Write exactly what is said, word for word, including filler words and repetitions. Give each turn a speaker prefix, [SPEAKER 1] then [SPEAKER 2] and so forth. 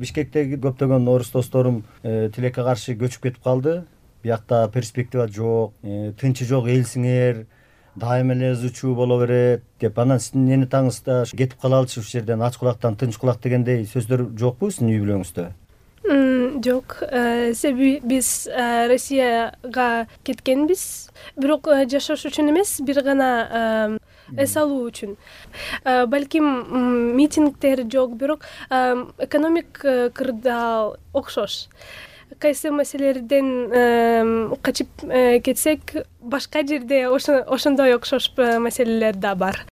[SPEAKER 1] Бишкектеги көптөгөн орус досторум тилекке каршы көчүп кетип калды. Биякта перспектива жок, тынчы жок элсиңер, дайыма эле ызы чуу боло берет деп. Анан сиздин энетаңызда кетип калалычы ушул жерден ач кулактан тынч кулак дегендей сөздөр жокпу сиздин үй бүлөңүздө?
[SPEAKER 2] Жок. Себеби биз Россияга кеткенбиз, бирок жашаш үчүн эмес, бир гана эс алуу үчүн. Балким митингдер жок, бирок экономик кырдаал окшош. Кайсы маселелерден качып кетсек, башка жерде ошондой окшош маселелер да бар.